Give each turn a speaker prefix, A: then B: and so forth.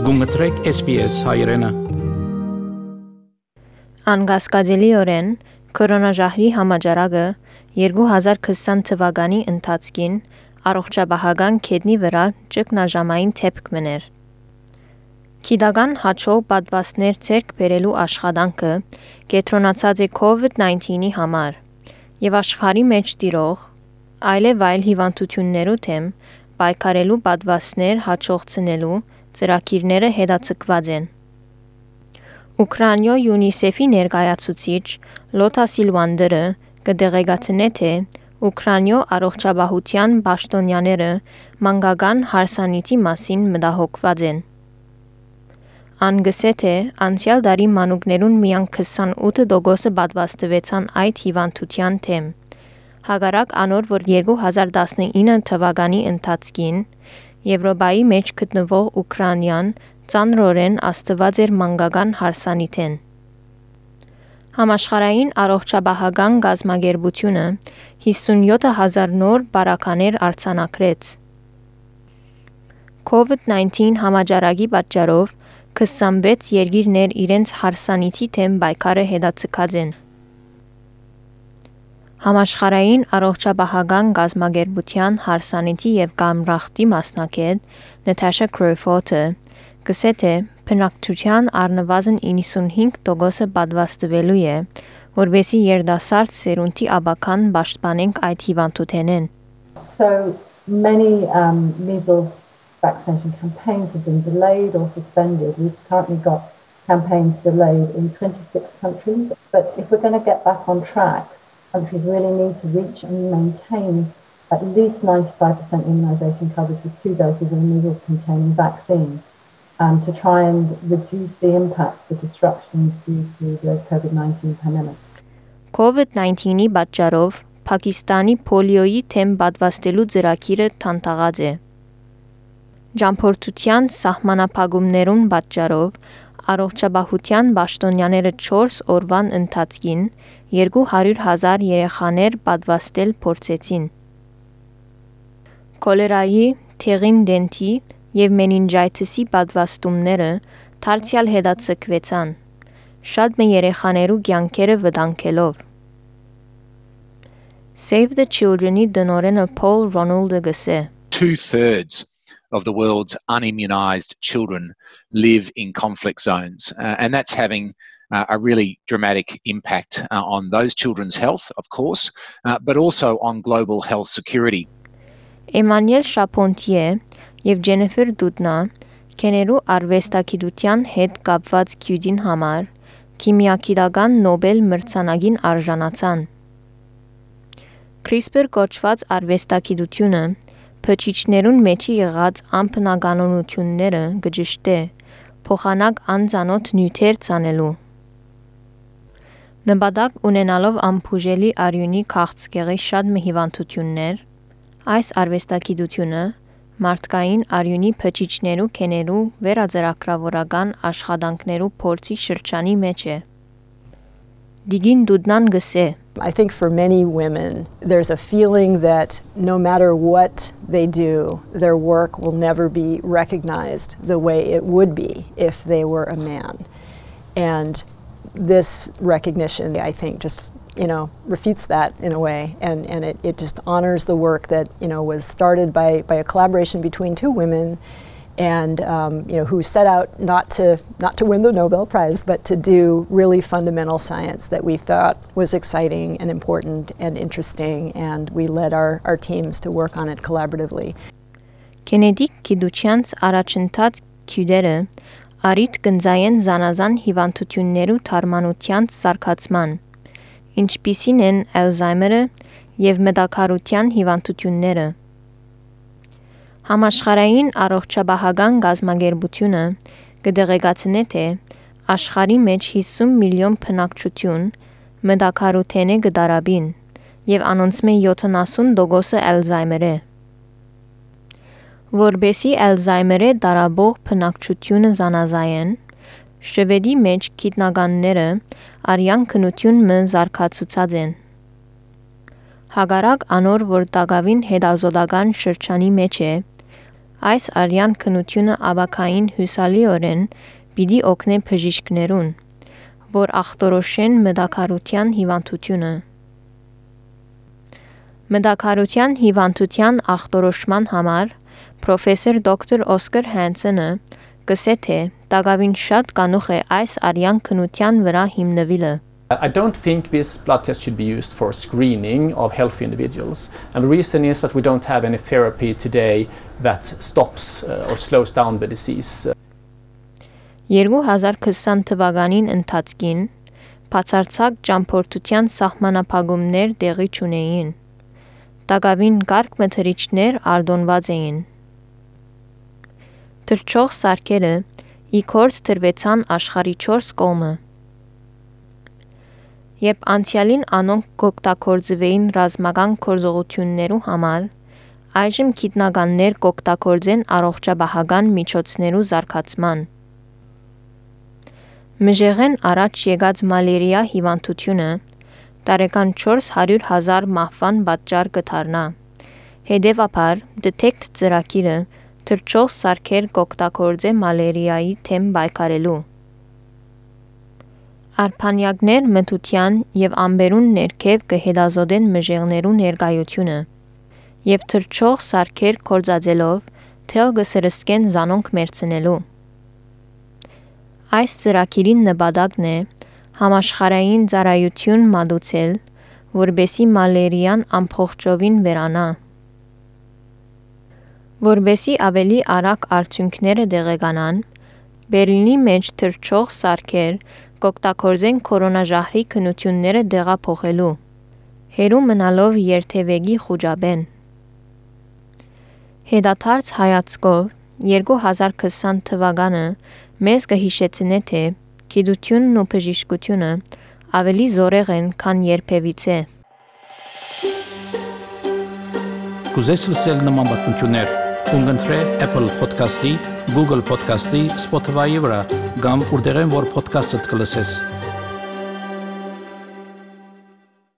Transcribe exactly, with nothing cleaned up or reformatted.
A: Գումտրեք S B S հայրենը։
B: Անգասկածելիորեն կորոնաժահրի համաճարակը երկու հազար քսան թվականի ընթացքին առողջապահական կետնի վրա ճգնաժամային դեպք մներ։ Գիտական հաջող պատվաստներ ձեռք բերելու աշխատանքը կենտրոնացած է COVID nineteen-ի համար եւ աշխարհի մեջ տիրող այլև այլ հիվանդություններու դեմ պայքարելու պատվաստներ հաջողցնելու ծրագիրները հետաձգված են։ Ուկրաինայ յունիսեֆի ներկայացուցիչ Լոթա Սիլվանդերը կդեղեկացնե թե Ուկրաինայ առողջապահության պաշտոնյաները մանկական հարսանիքի մասին մտահոգված են։ Ան գսե թե անցյալ տարի մանուկներուն միայն քսանութ տոկոսը պատվաստվեցան այդ հիվանդության դեմ։ Հակառակ անոր, որ երկու հազար տասնինը թվականի ընթացքին Եվրոպայի մեջ գտնվող Ուկրաինան ծանրորեն աստված էր մանկական հարսանիքեն։ Համաշխարհային առողջապահական կազմակերպությունը հիսունյոթ հազար նոր պարագաներ արձանագրեց։ COVID nineteen համաճարակի պատճառով քսանվեց երկիրներ իրենց հարսանիքի դեմ պայքարը հետաձգած են։ Համաշխարհային առողջապահական կազմակերպության հարսանիքի եւ կամրախտի մասնակետ Նաթաշա Քրոֆորդը գսե թե բնակչության առնվազն իննսունհինգ տոկոսը պատվաստվելու է, որբեսի երիտասարդ սերունդի աբական պաշտպանենք այդ հիվանդութենեն։
C: So many um, measles vaccination campaigns have been delayed or suspended. We've currently got campaigns delayed in twenty-six countries. But if we're going to get back on track, countries really need to reach and maintain at least ninety-five percent immunisation coverage with two doses of a measles-containing vaccine um, to try and reduce the impact, the disruptions due to the COVID nineteen pandemic.
B: COVID nineteen-ի պատճառով Փակիստանի պոլիոյի թեմ պատվաստելու ծրագիրը թանթաղած է։ Ճամփորդության սահմանափակումներուն պատճառով առողջապահության պաշտոնյաները չորս օրվան ընթացքին երկու հարյուր հազար երեխաներ պատվաստել փորձեցին։ Կոլերայի, թեղին դենտի եւ մենինջայթիսի պատվաստումները դարձյալ հետաձգվեցան, շատ մը երեխաներու կյանքերը վտանգելով։ Save the Children-ի դնորենը Paul Ronald-ը գսե.
D: Two-thirds of the world's unimmunized children live in conflict zones, uh, and that's having uh, a really dramatic impact uh, on those children's health, of course, uh, but also on global health security.
B: Էմանուել Շապոնտիե եւ Ջենիֆեր Դուդնա կեներու արվեստագիտության հետ կապված քյուդին համար քիմիագիտական Նոբել մրցանակին արժանացան։ CRISPR կոչված արվեստագիտությունը փչիչներուն մեջի եղած անբնականությունները գճշտե, փոխանակ անծանոթ նյութեր ցանելու։ Նպատակ ունենալով անբուժելի արյունի քաղցկեղի շատ մի հիվանդություններ, այս արվեստագիտությունը մարդկային արյունի փչիչներու կեներու վերաձեռագրավորական աշխատանքներու փորձի շրջանի մեջ է։ Դիգին Դուդնան գսե.
E: I think for many women, there's a feeling that no matter what they do, their work will never be recognized the way it would be if they were a man. And this recognition, I think, just, you know, refutes that in a way. And, and it, it just honors the work that, you know, was started by, by a collaboration between two women and, um, you know, who set out not to, not to win the Nobel Prize, but to do really fundamental science that we thought was exciting and important and interesting, and we led our, our teams to work on it collaboratively.
B: Կենեդի գիտությանց առաջընթաց քյուդերը արիտ կնձայեն զանազան հիվանդություններու թարմանությանց սարքացման, ինչպիսին են Ալզայմերը եւ մտակարության հիվանդությունները։ Համաշխարհային առողջապահական կազմակերպությունը կդեղեկացնե թե աշխարհի մեջ հիսուն միլիոն բնակչություն մտակարութեն է գդարաբին եւ անոնց մե յոթանասուն տոկոսը Ալզայմեր է։ Որբեսի Ալզայմերը դարաբող բնակչությունը զանազային, Շվեդի մեջ գիտնականները արյան քնություն մը զարգացուցած են։ Հագարակ անոր որ տագավին հետազոտական շրջանի մեջ է, Այս արյան քնությունը աբակային հուսալիորեն պիտի օգնե բժիշկներուն, որ ախտորոշեն մտակարության հիվանդությունը։ Մտակարության հիվանդության ախտորոշման համար պրոֆեսոր դոկտոր Օսկար Հանսենը գսե թե տակավին շատ կանուխ է այս արյան քնության վրա հիմնվելը։
F: I don't think this blood test should be used for screening of healthy individuals. And the reason is that we don't have any therapy today that stops uh, or slows down the disease.
B: երկու հազար քսան թվականին ընթացքին բացարձակ ճամփորդության սահմանափակումներ տեղի չունեին։ Տակավին կարգ մթերիչներ արտոնված էին։ Թռչող սարքերը իքորձ դրվեցան աշխարհի չորս կողմը։ Երբ անցյալին անոնք կօգտագործվեին ռազմական գործողություններու համար, այժմ գիտնականներ կօգտագործեն առողջապահական միջոցներու զարգացման։ Մժեղեն առաջ եկած մալերիա հիվանդությունը տարեկան չորս հարյուր հազար մահվան պատճառ կդառնա։ Հետևաբար, Detect ծրագիրը թռչող սարքեր կօգտագործե մալերիայի թեմ պայքարելու։ Արփանյակներ մթության եւ ամբերուն ներքև կհետազոտեն մժեղներու ներկայությունը եւ թռչող սարքեր կորցածելով թեո կսրսկեն զանոնք մերցնելու։ Այս ծրագիրի նպատակն է համաշխարհային ծառայություն մատուցել, որբեսի մալերիան ամբողջովին վերանա։ Որբեսի ավելի արագ արդյունքները տեղեկանան, Բերլինի մեջ թռչող սարքեր կօգտագործեն կորոնաժահրի քնությունները դեղափոխելու, հերու մնալով երթևեկի խուճապեն։ Հետադարձ հայացքով երկու հազար քսան թվականը մեզ կհիշեցնե թե գիտությունն ու բժշկությունը ավելի զորեղ են, քան երբևիցե։
A: Կուզես լսել նման բանություններ, կընտրե Apple Podcast-ի, Google Podcast-ի, Spotify-ի վրա, կամ որտեղեն որ podcast-ը կլսես։